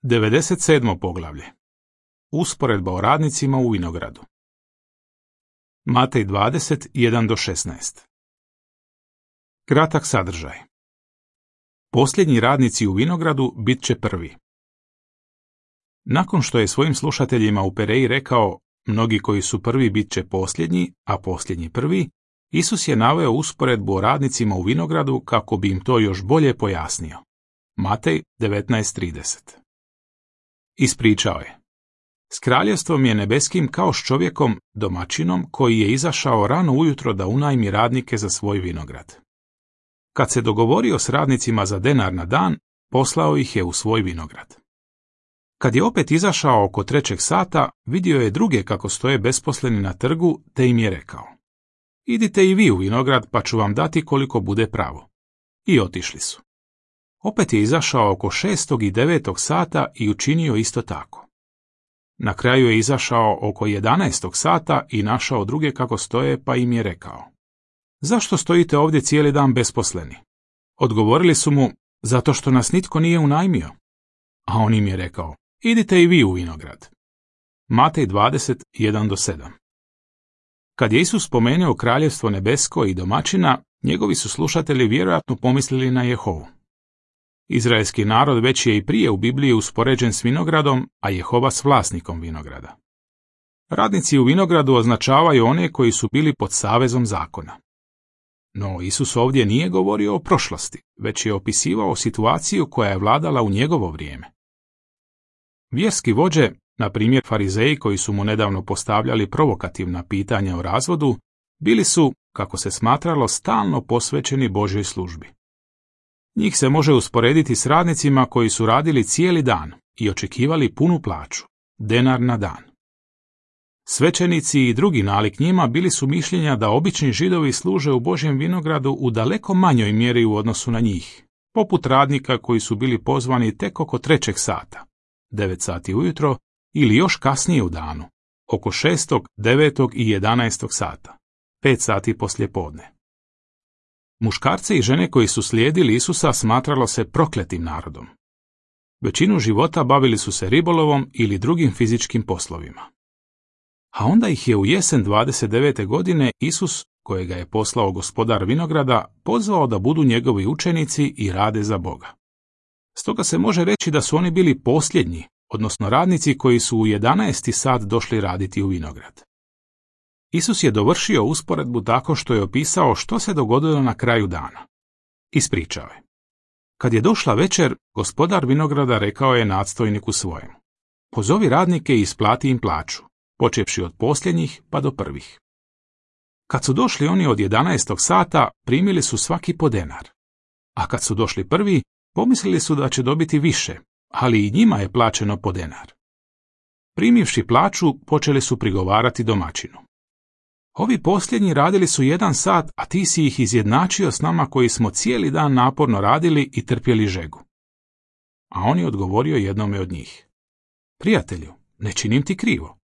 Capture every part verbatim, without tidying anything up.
devedeset sedmo poglavlje. Usporedba o radnicima u vinogradu. Matej dvadeset, jedan do šesnaest. Kratak sadržaj. Posljednji radnici u vinogradu bit će prvi. Nakon što je svojim slušateljima u Pereji rekao, mnogi koji su prvi bit će posljednji, a posljednji prvi, Isus je naveo usporedbu o radnicima u vinogradu kako bi im to još bolje pojasnio. Matej devetnaest trideset. Ispričao je. S kraljevstvom je nebeskim kao s čovjekom, domaćinom, koji je izašao rano ujutro da unajmi radnike za svoj vinograd. Kad se dogovorio s radnicima za denar na dan, poslao ih je u svoj vinograd. Kad je opet izašao oko trećeg sata, vidio je druge kako stoje besposleni na trgu, te im je rekao: idite i vi u vinograd, pa ću vam dati koliko bude pravo. I otišli su. Opet je izašao oko šestog i devetog sata i učinio isto tako. Na kraju je izašao oko jedanaestog sata i našao druge kako stoje, pa im je rekao: zašto stojite ovdje cijeli dan besposleni? Odgovorili su mu: zato što nas nitko nije unajmio. A on im je rekao: idite i vi u vinograd. Matej dvadeset, jedan do sedam. Kad je Isus spomenuo kraljevstvo nebesko i domaćina, njegovi su slušatelji vjerojatno pomislili na Jehovu. Izraelski narod već je i prije u Bibliji uspoređen s vinogradom, a Jehova s vlasnikom vinograda. Radnici u vinogradu označavaju one koji su bili pod savezom zakona. No Isus ovdje nije govorio o prošlosti, već je opisivao situaciju koja je vladala u njegovo vrijeme. Vjerski vođe, na primjer farizeji koji su mu nedavno postavljali provokativna pitanja o razvodu, bili su, kako se smatralo, stalno posvećeni Božjoj službi. Njih se može usporediti s radnicima koji su radili cijeli dan i očekivali punu plaću, denar na dan. Svećenici i drugi nalik njima bili su mišljenja da obični Židovi služe u Božjem vinogradu u daleko manjoj mjeri u odnosu na njih, poput radnika koji su bili pozvani tek oko trećeg sata, devet sati ujutro, ili još kasnije u danu, oko šestog, devetog i jedanaestog sata, pet sati poslije podne. Muškarci i žene koji su slijedili Isusa smatralo se prokletim narodom. Većinu života bavili su se ribolovom ili drugim fizičkim poslovima. A onda ih je u jesen dvadeset devete godine Isus, kojega je poslao gospodar vinograda, pozvao da budu njegovi učenici i rade za Boga. Stoga se može reći da su oni bili posljednji, odnosno radnici koji su u jedanaesti sat došli raditi u vinograd. Isus je dovršio usporedbu tako što je opisao što se dogodilo na kraju dana. Ispričao je. Kad je došla večer, gospodar vinograda rekao je nadstojniku svojemu: pozovi radnike i isplati im plaću, počevši od posljednjih pa do prvih. Kad su došli oni od jedanaestog sata, primili su svaki po denar. A kad su došli prvi, pomislili su da će dobiti više, ali i njima je plaćeno po denar. Primivši plaću, počeli su prigovarati domaćinu: ovi posljednji radili su jedan sat, a ti si ih izjednačio s nama koji smo cijeli dan naporno radili i trpjeli žegu. A on je odgovorio jednome od njih: prijatelju, ne činim ti krivo.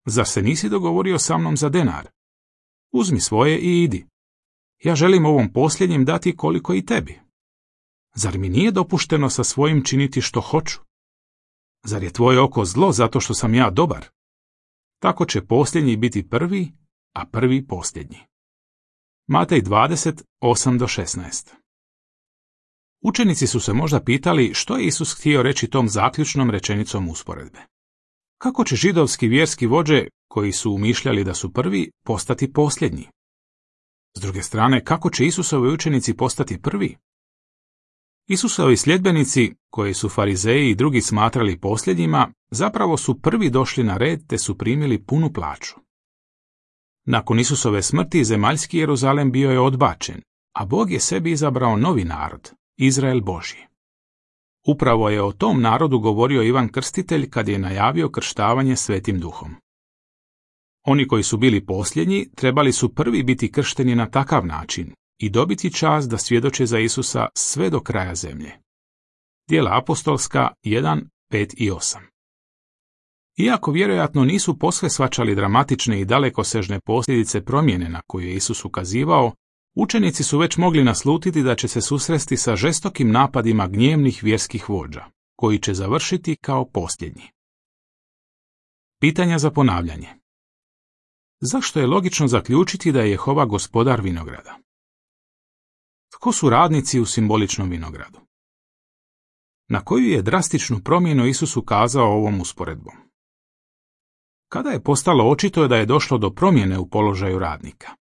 Zar se nisi dogovorio sa mnom za denar? Uzmi svoje i idi. Ja želim ovom posljednjim dati koliko i tebi. Zar mi nije dopušteno sa svojim činiti što hoću? Zar je tvoje oko zlo zato što sam ja dobar? Tako će posljednji biti prvi, a prvi posljednji. Matej dvadeset, osam do šesnaest. Učenici su se možda pitali što je Isus htio reći tom zaključnom rečenicom usporedbe. Kako će židovski vjerski vođe, koji su umišljali da su prvi, postati posljednji? S druge strane, kako će Isusovi učenici postati prvi? Isusovi sljedbenici, koji su farizeji i drugi smatrali posljednjima, zapravo su prvi došli na red te su primili punu plaću. Nakon Isusove smrti zemaljski Jeruzalem bio je odbačen, a Bog je sebi izabrao novi narod, Izrael Božji. Upravo je o tom narodu govorio Ivan Krstitelj kad je najavio krštavanje Svetim Duhom. Oni koji su bili posljednji trebali su prvi biti kršteni na takav način i dobiti čast da svjedoče za Isusa sve do kraja zemlje. Djela apostolska jedan, pet i osam. Iako vjerojatno nisu posve shvaćali dramatične i dalekosežne posljedice promjene na koju je Isus ukazivao, učenici su već mogli naslutiti da će se susresti sa žestokim napadima gnjevnih vjerskih vođa. koji će završiti kao posljednji. Pitanja za ponavljanje. Zašto je logično zaključiti da je Jehova gospodar vinograda? Tko su radnici u simboličnom vinogradu? Na koju je drastičnu promjenu Isus ukazao ovom usporedbom? Kada je postalo očito da je došlo do promjene u položaju radnika?